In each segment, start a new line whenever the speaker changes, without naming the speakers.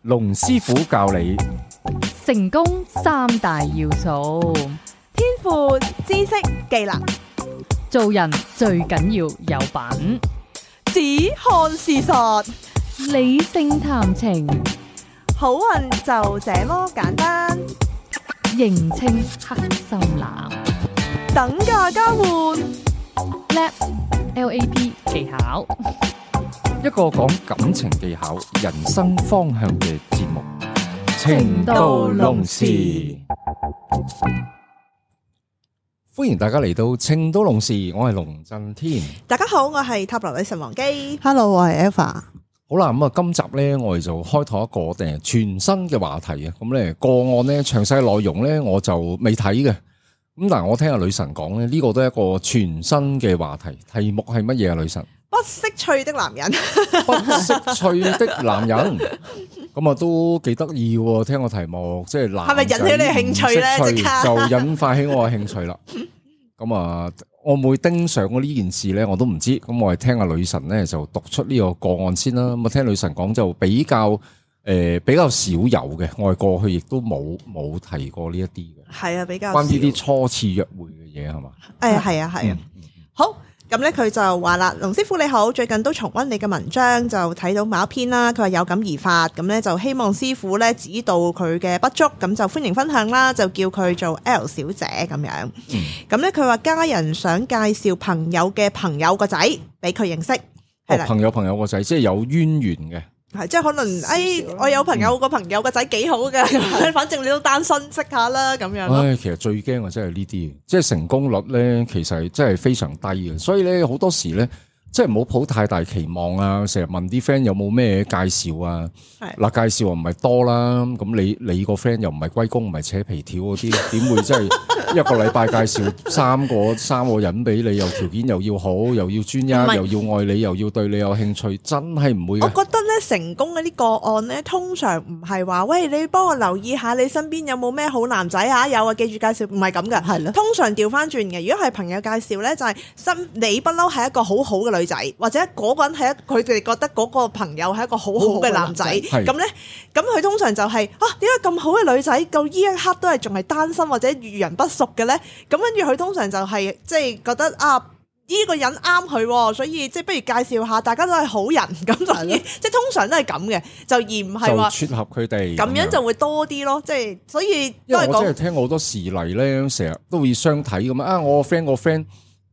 龍師傅教你
成功三大要素，
天賦、知識、技能，
做人最緊要有品，
只看事實，
理性談情，
好運就這麼簡單。
認清黑心男，
等價交換
LAP 技巧，
一個講感情技巧、人生方向嘅節目《
情到濃時》。
歡迎大家嚟到《情到濃時》，我係龍震天。
大家好，我係塔羅女神王姬。
Hello， 我係 Alpha。
好啦，咁啊，今集咧我哋就開拓一個全新嘅話題啊。咁咧個案咧詳細內容咧我就未睇嘅。咁但係我聽阿女神講咧，呢個都係一個全新嘅話題。題目係乜嘢啊？女神，
不識趣的男人，
不識趣的男人。咁啊都幾得意喎！聽個題目，即係男，
係咪引起你興趣咧？即刻
就引發起我嘅興趣啦。咁啊，我會盯上呢件事咧，我都唔知。咁我係聽阿女神咧就讀出呢個個案先啦。咁啊，聽女神講就比較少有嘅，我係過去亦都冇提過呢一啲嘅。
係啊，比較
關於啲初次約會嘅嘢係嘛？
係啊。好。咁咧佢就話啦，龍師傅你好，最近都重溫你嘅文章，就睇到某一篇啦。佢話有感而發，咁咧就希望師傅咧指導佢嘅不足，咁就歡迎分享啦，就叫佢做 L 小姐咁樣。咁咧佢話家人想介紹朋友嘅朋友個仔俾佢認識，係啦，
朋友個仔即係有淵源嘅。
係，即係可能，我有朋友個朋友個仔幾好嘅，反正你都單身，識下啦咁樣咯。
其實最驚嘅真係呢啲，即係成功率咧，其實真係非常低嘅。所以咧，好多時咧，即係唔好抱太大期望啊！成日問啲 friend 有冇咩介紹啊？嗱，介紹又唔係多啦。咁你個 friend 又唔係龜公，唔係扯皮條嗰啲，點會真係一個禮拜介紹三個人俾你？又條件又要好，又要專一，又要愛你，又要對你有興趣，真係唔會嘅。
我覺得咧，成功嗰啲個案咧，通常唔係話喂，你幫我留意下你身邊有冇咩好男仔啊？有啊，記住介紹，唔係咁嘅。係咯，通常調翻轉嘅。如果係朋友介紹咧，就係你不嬲係一個好好嘅女仔，或者嗰個人係佢哋覺得嗰個朋友係一個好好嘅男仔，咁咧，咁佢通常就係點解咁好嘅女仔到呢一刻都係仲係單身或者遇人不淑嘅咧？咁跟住佢通常就係即係覺得呢個人啱佢，所以即係不如介紹下，大家都係好人咁，所以即係通常都係咁嘅，就而唔係話
撮合佢哋
咁樣就會多啲咯。即係所以
因為我真係聽過好多事例咧，成日都會相睇咁啊！我個 friend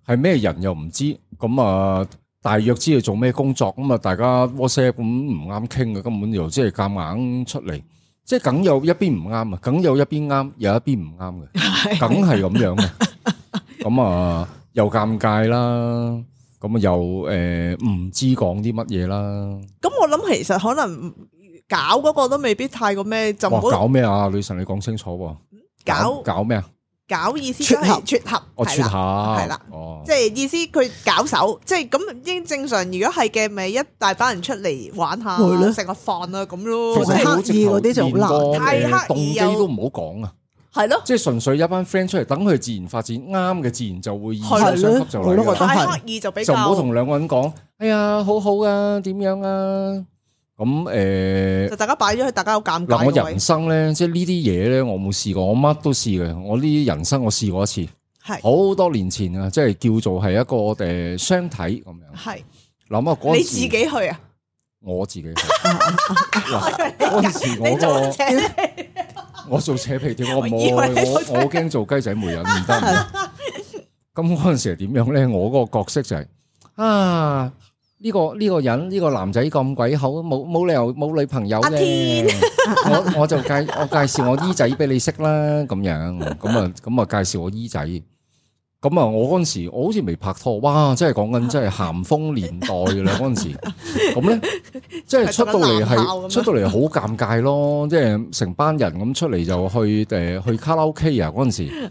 係咩人又唔知，咁啊大約知佢做咩工作，咁啊大家 WhatsApp 咁唔啱傾嘅，根本就即係夾硬出嚟，即係梗有一邊唔啱啊，梗有一邊啱，有一邊唔啱嘅，梗係咁樣嘅。咁啊又尷尬啦，咁啊又唔知講啲乜嘢啦。
咁我諗其實可能搞嗰個都未必太過咩，就唔好
搞咩啊？女神你講清楚喎，搞咩啊？
搞意思都係撮合，
撮合
係啦，即係意思佢搞手，即係咁應正常。如果係嘅，咪一大班人出嚟玩下，食個飯啊咁咯。
其實刻意嗰啲就好難，
太刻意
動機都唔好講啊。
係咯，
即係純粹一班 friend 出嚟，等佢自然發展，啱嘅自然就會二手相級就嚟啦。
太刻意就比較
就唔好同兩個人講，哎呀好好啊，點樣啊？咁
就大家擺咗去，大家好尷尬。
嗱，我人生咧，即係呢啲嘢咧，我冇試過，我乜都試嘅。我呢啲人生我試過一次，係好多年前啊，即係叫做係一個相睇咁樣。係諗下嗰陣時，你自
己去啊？
我自己去。嗰陣時我做扯皮條，我驚做雞仔媒人唔得。咁嗰陣時係點樣咧？我嗰個角色就係呢個人呢個男仔咁鬼好，冇理由冇女朋友嘅。我介紹我姨仔俾你識啦，咁樣咁啊介紹我姨仔。咁啊，我嗰陣時我好似未拍拖，哇！真係講緊真係咸豐年代噶啦嗰陣時。咁咧，即係出到嚟好尷尬咯，即係成班人咁出嚟就去卡拉 OK 啊嗰陣時。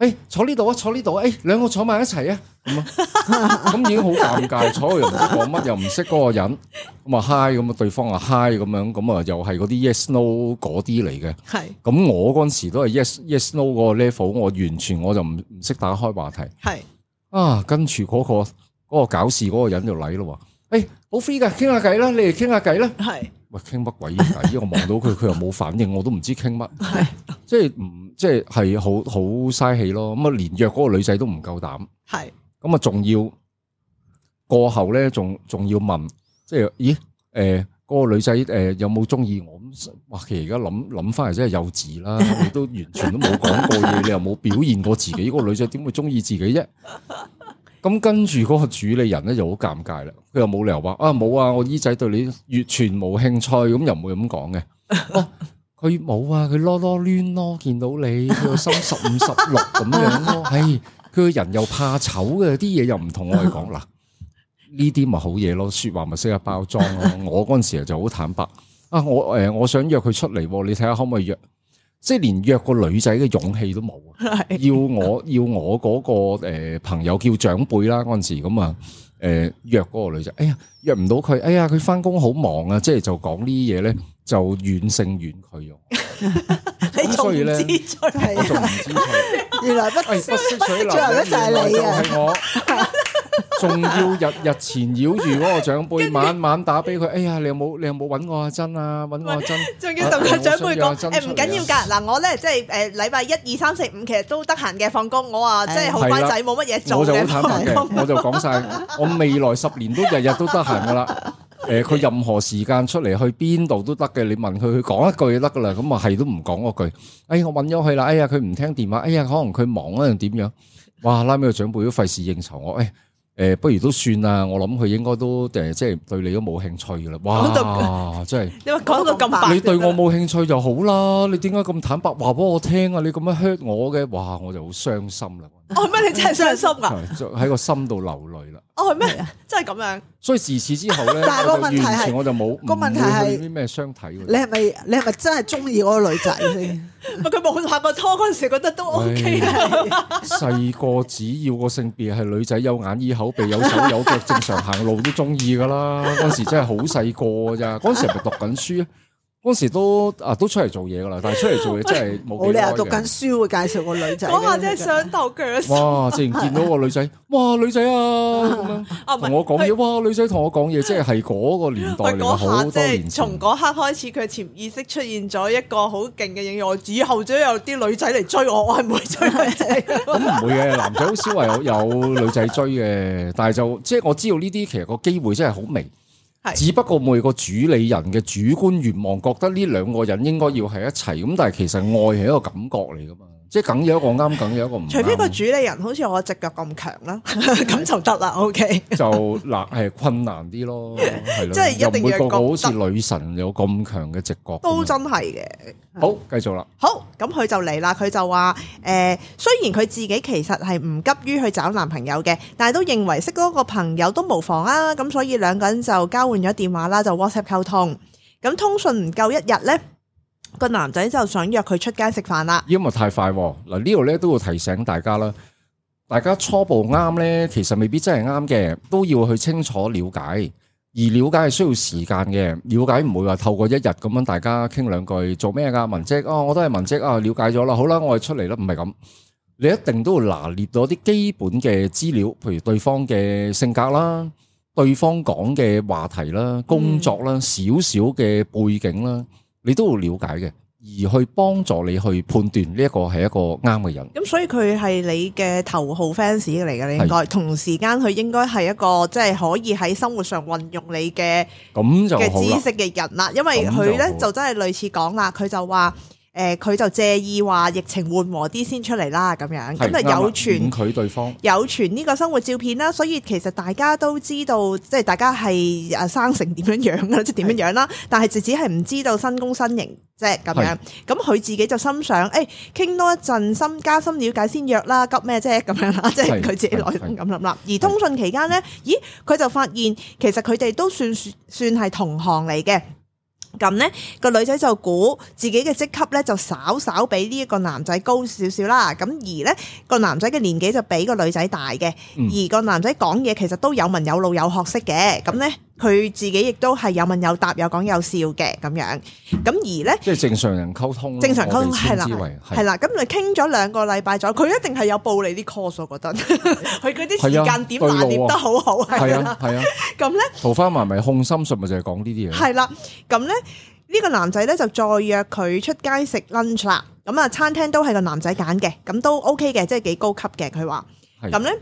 係，坐呢度啊，坐呢度啊，兩個坐埋一齊啊，咁已經好尷尬，坐又唔知講乜，又唔識嗰個人，咁啊 hi，咁啊對方啊 hi 咁樣，咁啊又係嗰啲 yes no 嗰啲嚟嘅，係，咁我嗰陣時都係 yes no 嗰個 level，我完全我就唔識打開話題，係，跟住嗰個搞事嗰個人就嚟咯，好 free 噶，傾下偈啦，你哋傾下偈啦，係，喂傾乜鬼偈？我望到佢又冇反應，我都唔知傾乜，即係好嘥氣咯。咁啊連約嗰個女仔都唔夠膽，
係
咁啊仲要過後咧，仲要問，即係咦嗰個女仔有冇中意我？咁哇，其實而家諗翻嚟真係幼稚啦！你都完全都冇講過嘢，你又冇表現過自己，嗰個女仔點會中意自己啫？咁跟住嗰個主理人咧就好尷尬啦，佢又冇理由話啊冇啊，我姨仔對你完全冇興趣，咁又唔會咁講嘅。哦，佢冇啊，佢囉囉攣咯，見到你佢個心15、16咁樣咯，唉，佢個人又怕醜嘅，啲嘢又唔同我哋講嗱。呢啲咪好嘢咯，說話咪識得包裝咯。我嗰陣時就好坦白啊，我想約佢出嚟，你睇下可唔可以約？即係連約個女仔嘅勇氣都冇，要我嗰個朋友叫長輩啦嗰陣時咁啊，約嗰個女仔，哎呀約唔到佢，哎呀佢翻工好忙啊，即係就講呢啲嘢咧就遠勝遠佢用。
你仲唔知趣？
我仲唔知趣，
原來不
識水流，
最後一就係你啊！
係我。仲要日纏繞住嗰個長輩，晚晚打俾佢。哎呀，你有冇揾我阿珍啊？揾我阿珍。
仲要同個長輩講，唔緊要㗎。嗱，我咧即係禮拜1、2、3、4、5其實都得閒嘅，放工我話即係好乖仔，冇乜嘢做嘅。
我就好坦白嘅，我就講晒，我未來10年都日日都得閒㗎啦。佢任何時間出嚟去邊度都得嘅，你問佢講一句就得㗎啦。咁啊係都唔講嗰句。哎，我揾咗佢啦。哎呀，佢唔聽電話。哎呀，可能佢忙啊定點樣？哇！拉尾個長輩都費事應酬我。不如都算啦，我諗佢應該都即係對你都冇興趣噶啦。哇，真係
你話講到咁白，
你對我冇興趣就好啦。你點解咁坦白話俾我聽啊？你咁樣 hurt 我嘅，哇，我就好傷心啦。
哦，咩？你真係傷心啊？
喺個心度流淚啦。
哦，係咩？真係咁樣。
所以自此之後咧，
但係個問題係
我就冇
個問題係
啲咩相睇。
你係咪真係中意嗰個女仔先？
佢冇拍過拖嗰陣時，覺得都 OK 啊。
細個只要個性別係女仔，有眼耳口鼻，有手有腳，正常行路都中意噶啦。嗰陣時真係好細個咋，嗰陣時係咪讀緊書？嗰時都出嚟做嘢噶啦，但係出嚟做嘢真係冇幾耐嘅。
我哋讀緊書會介紹個女仔，
嗰下真係想頭腳。
哇！自然見到個女仔，哇女仔啊咁樣，同我講嘢，哇女仔同我講嘢，即係嗰個年代嚟嘅，好多年前。
從嗰刻開始，佢潛意識出現咗一個好勁嘅影響，以後都有啲女仔嚟追我，我係唔會追女仔。
咁唔會嘅，男仔好少話有女仔追嘅，但係就即係我知道呢啲其實個機會真係好微。只不過每個主理人嘅主觀願望覺得呢兩個人應該要喺一齊，咁但係其實愛係一個感覺嚟噶嘛，即係梗有一個啱，梗有一個唔啱。除
非個主理人好似我隻腳咁強啦，咁就得啦。OK，就
嗱係困難啲咯，係咯，
即係一定要
個個好似女神有咁強嘅直覺，
都真係嘅。
好，繼續啦。
好，咁佢就嚟啦。佢就話雖然佢自己其實係唔急於去找男朋友嘅，但係都認為識嗰個朋友都無妨啊。咁所以兩個人就交換咗電話啦，就 WhatsApp 溝通。咁通訊唔夠1日呢，個男仔就想約佢出街食飯啦。
因為太快嗱，呢度咧都要提醒大家啦。大家初步啱呢，其實未必真係啱嘅，都要去清楚了解。而了解係需要時間嘅，了解唔會話透過1日咁樣大家傾兩句做咩㗎文職我都係文職了解咗啦，好啦，我哋出嚟啦，唔係咁，你一定都要拿捏到啲基本嘅資料，譬如對方嘅性格啦，對方講嘅話題啦，工作啦，少少嘅背景啦，你都要了解嘅。而去幫助你去判斷呢一個係一個啱嘅人。
咁所以佢係你嘅頭號 fans 嚟嘅，你應該同時間佢應該係一個即係可以喺生活上運用你嘅知識嘅人啦。因為佢咧就真係類似講啦，佢就話佢就借意話疫情緩和啲先出嚟啦，咁樣咁就有傳
佢對方
有傳呢個生活照片啦。所以其實大家都知道，即係大家係生成點樣樣啦，即係點樣樣啦。但係就只係唔知道新工新型。即係咁樣，咁佢自己就心想，傾多一陣加深了解先約啦，急咩啫咁樣啦，即係佢自己內心咁諗啦。而通訊期間呢，咦，佢就發現其實佢哋都算係同行嚟嘅。咁呢個女仔就估自己嘅職級呢就稍比呢一個男仔高少少啦。咁而呢個男仔嘅年紀就比個女仔大嘅，而個男仔講嘢其實都有文有路有學識嘅。咁呢佢自己亦都係有問有答，有講有笑嘅咁樣。咁而咧，
即係正常人溝通，
正常溝通係啦，係啦。咁你傾咗2個禮拜咗，佢一定係有報你啲 course，我覺得佢嗰啲時間點拿捏得好好。
係啊係啊。咁咧，桃花麻咪控心術咪就係講呢啲嘢。係
啦，咁咧呢個男仔咧就再約佢出街食 lunch 啦。咁啊，餐廳都係個男仔揀嘅，咁都 OK 嘅，即係幾高級嘅。佢話咁咧。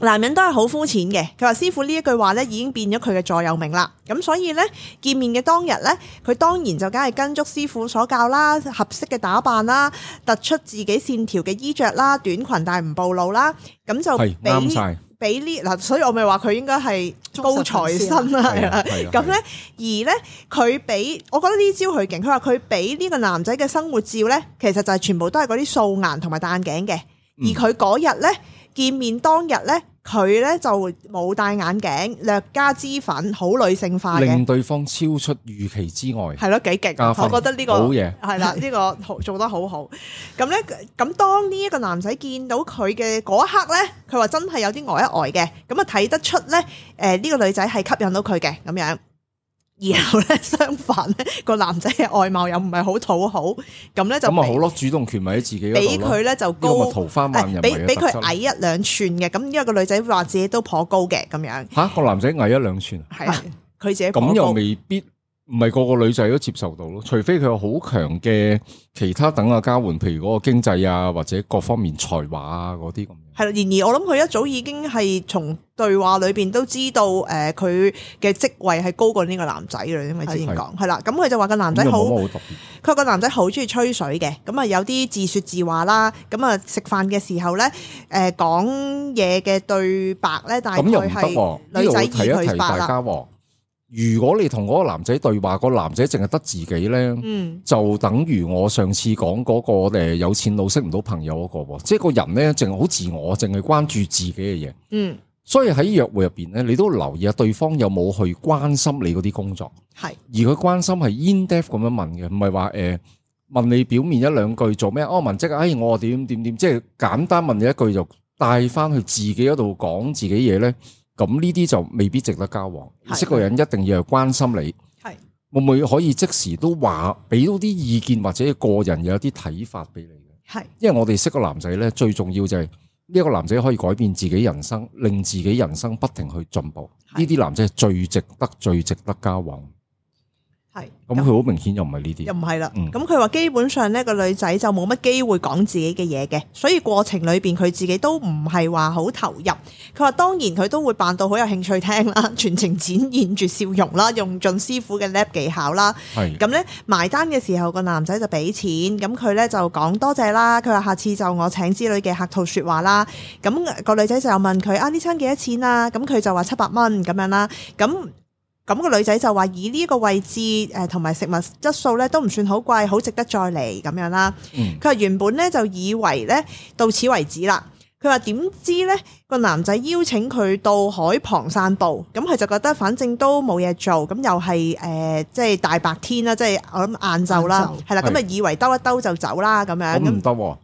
男人都係好膚淺嘅，佢話師傅呢一句話咧已經變咗佢嘅座右銘啦。咁所以咧見面嘅當日咧，佢當然就梗係跟足師傅所教啦，合適嘅打扮啦，突出自己線條嘅衣着啦，短裙但係唔暴露啦，咁就
啱晒。
俾呢嗱，所以我咪話佢應該係高材生啦，係啦。咁咧，而咧佢俾，我覺得呢招佢勁。佢話佢俾呢個男仔嘅生活照咧，其實就係全部都係嗰啲素顏同埋戴眼鏡嘅，而佢嗰日咧。見面當日咧，佢咧就冇戴眼鏡，略加脂粉，好女性化嘅，
令對方超出預期之外。
係咯，幾勁！我覺得呢個
好嘢，
係啦，呢個做得好好。咁咧，咁當呢一個男仔見到佢嘅嗰一刻咧，佢話真係有啲呆一呆嘅，咁啊睇得出咧，呢個女仔係吸引到佢嘅咁樣。然後咧，相反咧，個男仔嘅外貌又唔係好討好，咁咧就
咁啊好咯，主動權咪喺自己嗰度咯。
俾佢咧就高，
桃花萬人，
俾佢矮1-2寸嘅，咁因為個女仔話自己都頗高嘅咁樣。
吓，個男仔矮1-2寸，
係佢自己
咁又未必，唔係個個女仔都接受到咯，除非佢有好強嘅其他等嘅交換，譬如嗰個經濟啊，或者各方面才華啊嗰啲咁。
係啦，然而我諗佢一早已經係從對話裏邊都知道，佢嘅職位係高過呢個男仔嘅，因為之前講係啦。咁佢就話個男仔好，佢話個男仔好中意吹水嘅，咁啊有啲自說自話啦，咁啊食飯嘅時候咧，講嘢嘅對白咧，大概係女仔以佢白啦。
如果你同嗰個男仔對話，個男仔淨係得自己咧，就等於我上次講嗰個有錢佬識唔到朋友嗰個，即係個人咧淨係好自我，淨係關注自己嘅嘢。所以喺約會入邊咧，你都留意下對方有冇去關心你嗰啲工作。係，而佢關心係 in depth 咁樣問嘅，唔係話問你表面1-2句做咩？哦，文職，我點，即係簡單問你一句就帶翻去自己嗰度講自己嘢咧。咁呢啲就未必值得交往。識個人一定要係關心你，會唔會可以即時都話俾到啲意見或者個人有啲睇法俾你嘅？係，因為我哋識個男仔咧，最重要就係呢一個男仔可以改變自己人生，令自己人生不停去進步。呢啲男仔係最值得交往。係，咁佢好明顯又唔係呢啲，
又唔係啦。咁佢話基本上呢個女仔就冇乜機會講自己嘅嘢嘅，所以過程裏邊佢自己都唔係話好投入。佢話當然佢都會扮到好有興趣聽啦，全程展現住笑容啦，用盡師傅嘅 lab 技巧啦。係咁咧，埋單嘅時候個男仔就俾錢，咁佢咧就講多謝啦。佢話下次就我請之類嘅客套說話啦。咁個女仔就問佢呢餐幾多錢啊？咁佢就話700蚊咁樣啦。咁個女仔就話以呢個位置同埋食物質素咧都唔算好貴，好值得再嚟咁樣啦。佢話原本咧就以為咧到此為止啦。佢話點知咧個男仔邀請佢到海旁散步，咁佢就覺得反正都冇嘢做，咁又係即係大白天啦，即係我諗晏晝啦，係啦，咁啊以為兜一兜就走啦咁樣。
咁唔得喎，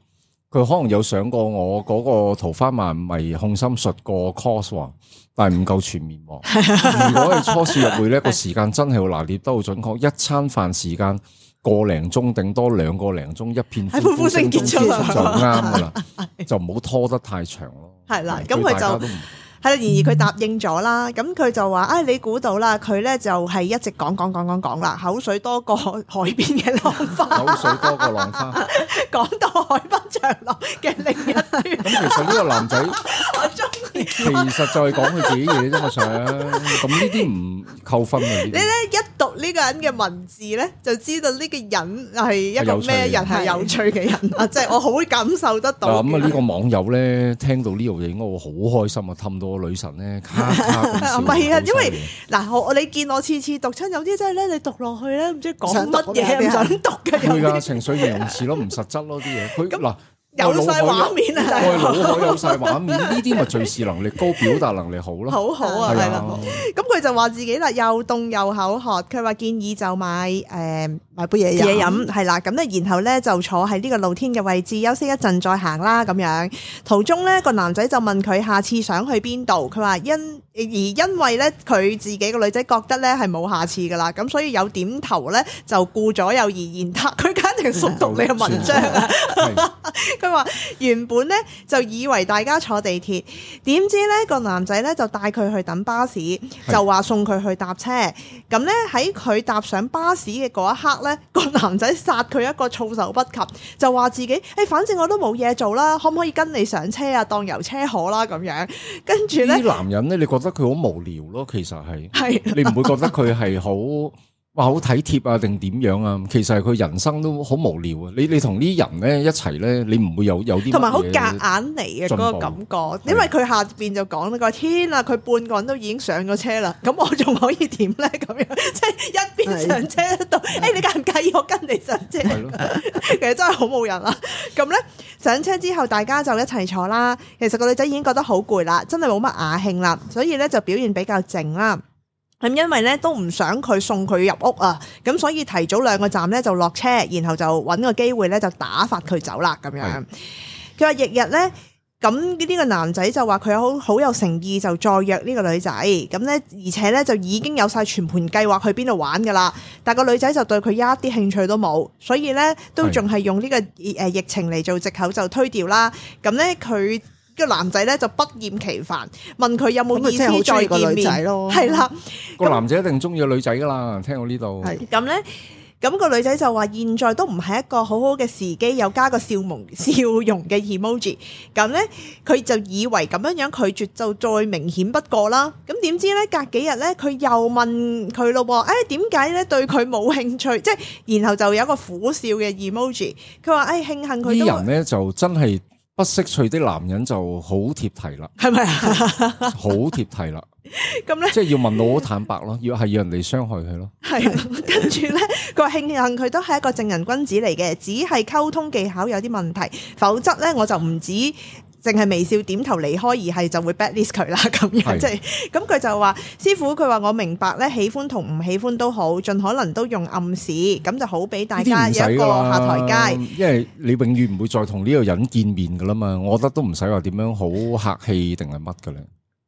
佢可能有上過我嗰個桃花萬迷控心術個 course 喎。但係唔夠全面。如果係初次入會呢個時間真係要拿捏得好準確，一餐飯時間個零鐘，頂多2個零鐘，一片歡呼聲結束就啱噶啦，就唔好拖得太長咯。係啦，咁佢就係啦，然而佢答應咗啦，咁佢就話你估到啦，佢咧就係一直講啦，口水多過海邊嘅浪花，口水多過浪花，講到海濱長廊嘅另一端。咁其實呢個男仔，我中意，其實就係講佢自己嘢啫嘛，想咁呢啲唔扣分嘅。你咧一讀呢個人嘅文字咧，就知道呢個人係一個咩人，係有趣嘅人啊！即係我好感受得到。咁啊，呢個網友咧聽到呢度嘢，應該會好開心啊，氹到個女神咧卡卡咁笑。唔係啊，因為嗱，你見我次次讀親，有啲真係咧，你讀落去咧，唔知講乜嘢，唔想讀嘅。會㗎，情緒形容詞咯，唔實質咯啲嘢。佢嗱，
有晒畫面啊！
我係腦海有晒畫面，呢啲咪敘事能力高、表達能力好咯。
好好啊，係啦。咁佢就話自己啦，又凍又口渴，佢話建議就買
杯嘢
飲，係啦。咁咧，然後咧就坐喺呢個露天嘅位置休息一陣再行啦。咁樣途中咧個男仔就問佢下次想去邊度，佢話因為咧佢自己個女仔覺得咧係冇下次噶啦，咁所以有點頭咧就顧左右而言他，佢肯定熟讀你嘅文章啊。佢話原本咧就以為大家坐地鐵，點知咧個男仔咧就帶佢去等巴士，就話送佢去搭車。咁咧喺佢搭上巴士嘅嗰一刻咧，個男仔殺佢一個措手不及，就話自己反正我都冇嘢做啦，可唔可以跟你上車啊？當遊車河啦咁樣。跟住咧，
啲男人咧，你覺得佢好無聊咯？其實係你唔會覺得佢係好好體貼啊，定點樣啊？其實係佢人生都好無聊啊！你同啲人咧一齊咧，你唔會有啲
同埋好夾硬嚟嘅嗰個感覺，因為佢下邊就講呢個天啊，佢半個人都已經上咗車啦，咁我仲可以點咧？咁樣即係一邊上車一度，你介唔介意我跟你上車？其實真係好冇人啦。咁咧上車之後，大家就一齊坐啦。其實個女仔已經覺得好攰啦，真係冇乜雅興啦，所以咧就表現比較靜啦。咁因為咧都唔想佢送佢入屋啊，咁所以提早2個站咧就落車，然後就揾個機會咧就打發佢走啦咁樣。佢話翌日咧，咁呢個男仔就話佢好有誠意，就再約呢個女仔。咁咧而且咧就已經有晒全盤計劃去邊度玩噶啦，但個女仔就對佢一啲興趣都冇，所以咧都仲係用呢個疫情嚟做藉口就推掉啦。咁咧佢個男仔咧就不厭其煩問佢有冇意思再見面，係啦。
個男仔一定中意個女仔噶啦，聽到呢度。
咁咧，咁個女仔就話現在都唔係一個好好嘅時機，又加個笑容嘅 emoji。咁咧，佢就以為咁樣拒絕就再明顯不過啦。咁點知咧，隔幾日咧，佢又問佢咯喎，點解咧對佢冇興趣？即係然後就有一個苦笑嘅 emoji。佢話慶幸佢都。啲
人咧就真係。不識趣的男人就好貼題啦，
係咪啊？
好貼題啦，咁咧即係要問到好坦白咯，要人哋傷害佢咯。
係，跟住咧，佢話慶幸佢都係一個正人君子嚟嘅，只係溝通技巧有啲問題，否則咧我就唔止淨係微笑點頭離開，而係就會 blacklist 佢啦咁樣。即係咁佢就話師傅，佢話我明白咧，喜歡同唔喜歡都好，盡可能都用暗示，咁就好俾大家有一個下台階。因為
你永遠唔會再同呢個人見面噶啦嘛，我覺得都唔使話點樣好客氣定係乜嘅咧。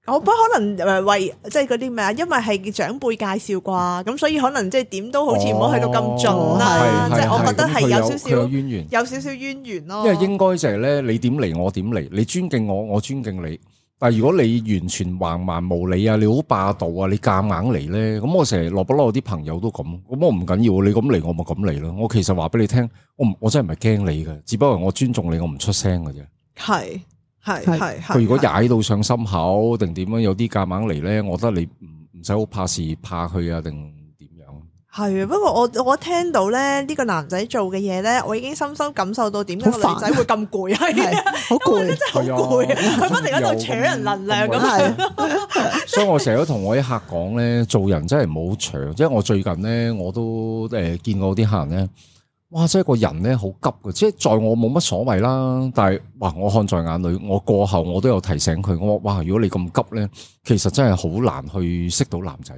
我不可能為即係嗰啲咩啊，因為係長輩介紹啩，咁所以可能即係點都好似唔好去到咁盡啦。即係我覺得係有少少淵源，有少少淵源咯。
因為應該就係咧，你點嚟我點嚟，你尊敬我，我尊敬你。但係如果你完全橫蠻無理啊，你好霸道啊，你夾硬嚟咧，咁我成日落不落啲朋友都咁，咁我唔緊要，你咁嚟我咪咁嚟咯。我其實話俾你聽，我真係唔係驚你嘅，只不過我尊重你，我唔出聲嘅啫。
係。
佢如果踩到上心口定點樣，有啲夾硬嚟咧，我覺得你唔使好怕事怕佢啊，定點樣？係啊，不
過我聽到咧呢個男仔做嘅嘢咧，我已經深深感受到點解個女仔會咁攰，係好攰，真係好攰，佢不停喺度搶人能量咁係。
所以我成日都同我啲客講咧，做人真係唔好搶。即係我最近咧，我都見過啲客人咧。哇！即係個人咧好急嘅，即係在我冇乜所謂啦，但係哇，我看在眼裏，我過後我都有提醒佢，我話哇，如果你咁急咧，其實真係好難去識到男仔。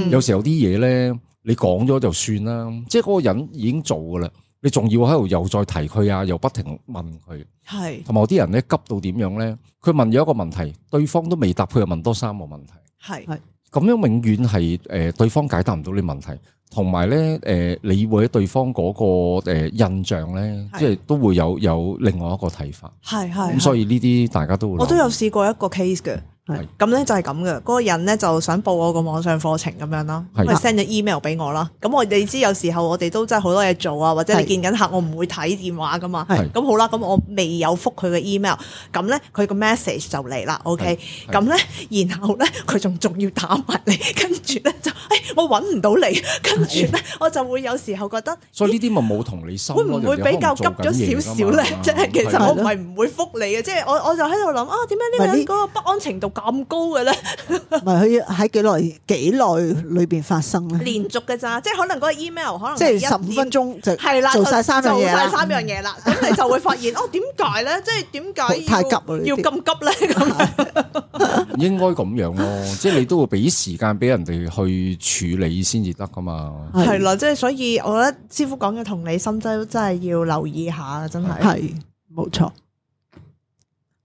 有時候啲嘢咧，你講咗就算啦，即係嗰個人已經做噶啦，你仲要喺度又再提佢啊，又不停問佢。係，同埋有啲人咧急到點樣咧？佢問咗一個問題，對方都未答，佢又問多3個問題。係，咁樣永遠係對方解答唔到你問題。同埋咧，你會喺對方嗰個印象咧，即係都會有另外一個睇法。係咁，所以呢啲大家都會。我
都有試過一個 case 嘅。咁咧就係咁嘅，嗰個人咧就想報我個網上課程咁樣啦，咁咪 send 咗 email 俾我啦。咁你知有時候我哋都真係好多嘢做啊，或者你見緊客，我唔會睇電話噶嘛。咁好啦，咁我未有覆佢嘅 email，咁咧佢個 message 就嚟啦。OK，咁咧然後咧佢仲要打埋嚟，跟住咧就我揾唔到你，跟住咧我就會有時候覺得，
所以呢啲咪冇同理心，
會唔會比較急咗少少咧？即係其實我唔係唔會覆你嘅，即係我就喺度諗啊，點解呢個人嗰個不安程度咁高嘅咧？
唔係佢喺幾耐裏邊發生咧？
連續嘅咋，即係可能嗰個 email 可能
即係15分鐘就
係啦，
做晒3樣嘢啦，
做晒3樣嘢啦，咁你就會發現點解咧？即係點解
太急
要咁急咧？咁
應該咁樣咯，即係你都會俾時間俾人哋去處理先至得噶嘛。
係啦，即係所以我覺得師傅講嘅同理心真係要留意下，真係
係冇錯。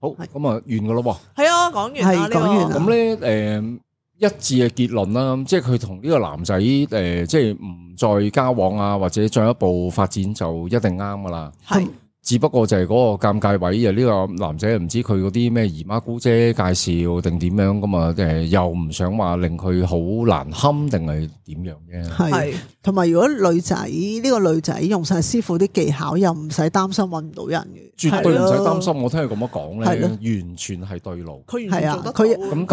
好，咁啊完噶咯喎。
係啊，講完啦，
講完啦。
咁咧一致嘅結論啦，即係佢同呢個男仔即係唔再交往啊，或者進一步發展就一定啱噶啦。
係。
只不過就係嗰個尷尬位啊！呢個男仔唔知佢嗰啲咩姨媽姑姐介紹定點樣咁啊？又唔想話令佢好難堪定係點樣嘅？
係，同埋如果女仔呢個女仔用晒師傅啲技巧，又唔使擔心揾唔到人嘅，
絕對唔使擔心。我聽佢咁樣講咧，完全係對路。
佢完全做得到。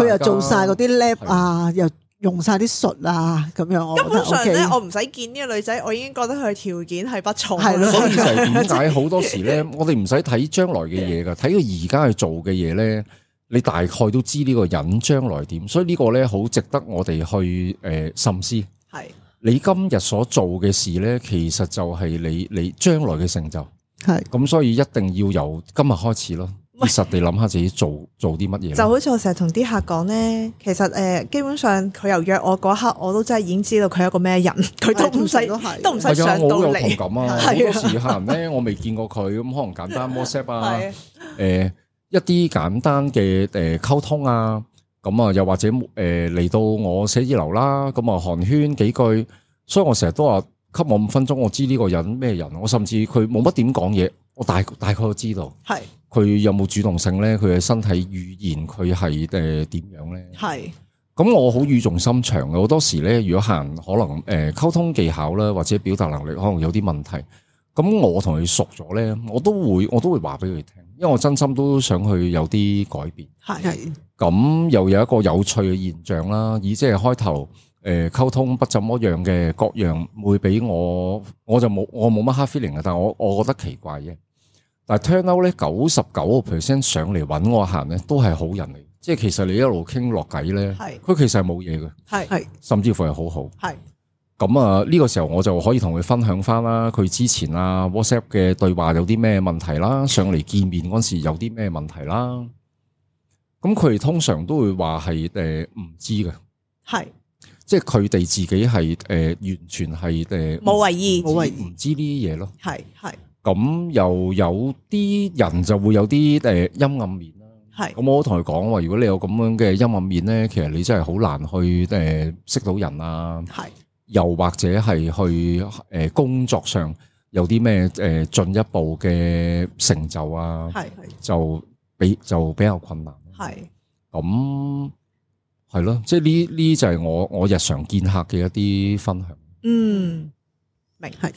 佢又做晒嗰啲 lab 啊，又用晒啲術啊，咁樣
根本上咧，我唔使見呢個女仔，我已經覺得佢條件係不錯。
係咯，
所以就係點解好多時咧，我哋唔使睇將來嘅嘢噶，睇佢而家去做嘅嘢咧，你大概都知呢個人將來點。所以呢個咧好值得我哋去深思。
係
你今日所做嘅事咧，其實就係你將來嘅成就。
係
咁，所以一定要由今日開始咯。實地諗下自己做啲乜嘢，
就好似我成日同啲客講咧，其實基本上佢由約我嗰刻，我都真係已經知道佢係一個咩人，佢都唔使上到嚟。
我有同感啊！好多時客人咧，我未見過佢，咁可能簡單 WhatsApp 啊，一啲簡單嘅溝通啊，咁啊又或者嚟到我寫字樓啦，咁啊寒暄幾句，所以我成日都話給我5分鐘，我知呢個人咩人，我甚至佢冇乜點講嘢，我大概都知道。係。佢有冇主動性咧？佢嘅身體語言佢係點樣咧？係。咁我好語重心長嘅，好多時咧，如果客人可能溝通技巧啦，或者表達能力可能有啲問題，咁我同佢熟咗咧，我都會話俾佢聽，因為我真心都想去有啲改變。係。咁又有一個有趣嘅現象啦，以即係開頭溝通不怎麼樣嘅各樣會俾我就冇乜 hard feeling 嘅，但係我覺得奇怪嘅。但係 turn out 咧，99% 上嚟揾我行咧，都係好人嚟。即係其實你一路傾落偈咧，佢其實係冇嘢嘅，係甚至乎係好好。係咁啊，呢個時候我就可以同佢分享翻啦，佢之前啊 WhatsApp 嘅對話有啲咩問題啦，上嚟見面嗰時有啲咩問題啦。咁佢哋通常都會話係唔知嘅，係即係佢哋自己係完全係
冇為意，
唔知呢啲嘢咯，係。咁又有啲人就會有啲陰暗面啦。係咁，我同佢講話，如果你有咁樣嘅陰暗面咧，其實你真係好難去識到人啊。係又或者係去工作上有啲咩進一步嘅成就啊，係就比較困難。係咁係咯，即係呢就係我日常見客嘅一啲分享。嗯，明係。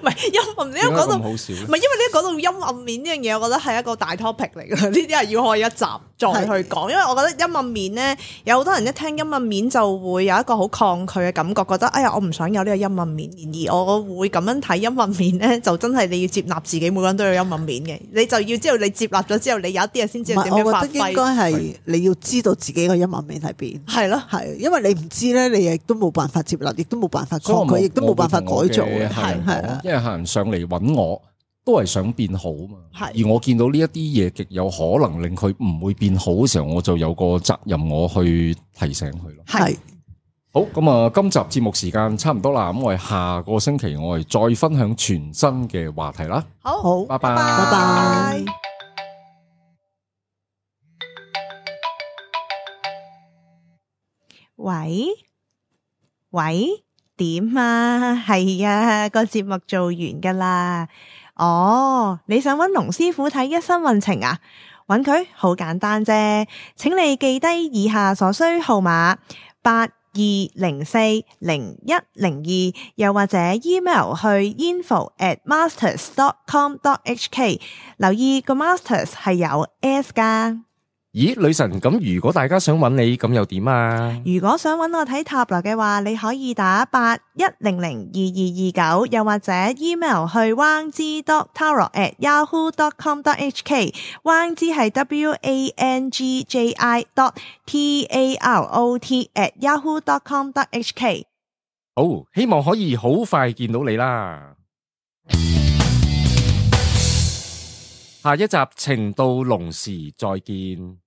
唔係陰暗面，因為講到唔係，因為呢講到陰暗面呢樣嘢，我覺得係一個大 topic 嚟嘅。呢啲係要開一集再去講，因為我覺得陰暗面咧，有好多人一聽陰暗面就會有一個好抗拒嘅感覺，覺得哎呀，我唔想有呢個陰暗面。然而我會咁樣睇陰暗面咧，就真係你要接納自己，每個人都有陰暗面嘅，你就要知道你接納咗之後，你有一啲嘢先知道點樣發揮。我覺得應該係你要知道自己個陰暗面喺邊。係咯，係，因為你唔知咧，你亦都冇辦法接納，亦都冇辦法抗拒，亦都冇辦法改造嘅。係啊。因為客人上嚟揾我，都係想變好嘛。而我見到呢一啲嘢極有可能令佢唔會變好嘅時候，我就有個責任我去提醒佢咯。係好咁啊！今集節目時間差唔多啦，咁我哋下個星期我哋再分享全新嘅話題啦。好，拜拜，拜拜。
喂。點啊？係啊，個節目做完噶啦。哦，你想揾龍師傅睇一生運程啊？揾佢好簡單啫，請你記低以下所需號碼82040102，又或者 email 去 info@masters.com.hk， 留意個 masters 係有 S 噶。
咦，女神，咁如果大家想揾你，咁又點啊？
如果想揾我睇塔羅嘅話，你可以打81002229，又或者 email 去 wangzi.tarot@yahoo.com.hk， wangzi 係 wangji.tarot@yahoo.com.hk。
好，希望可以好快見到你啦。下一集情到濃時再見。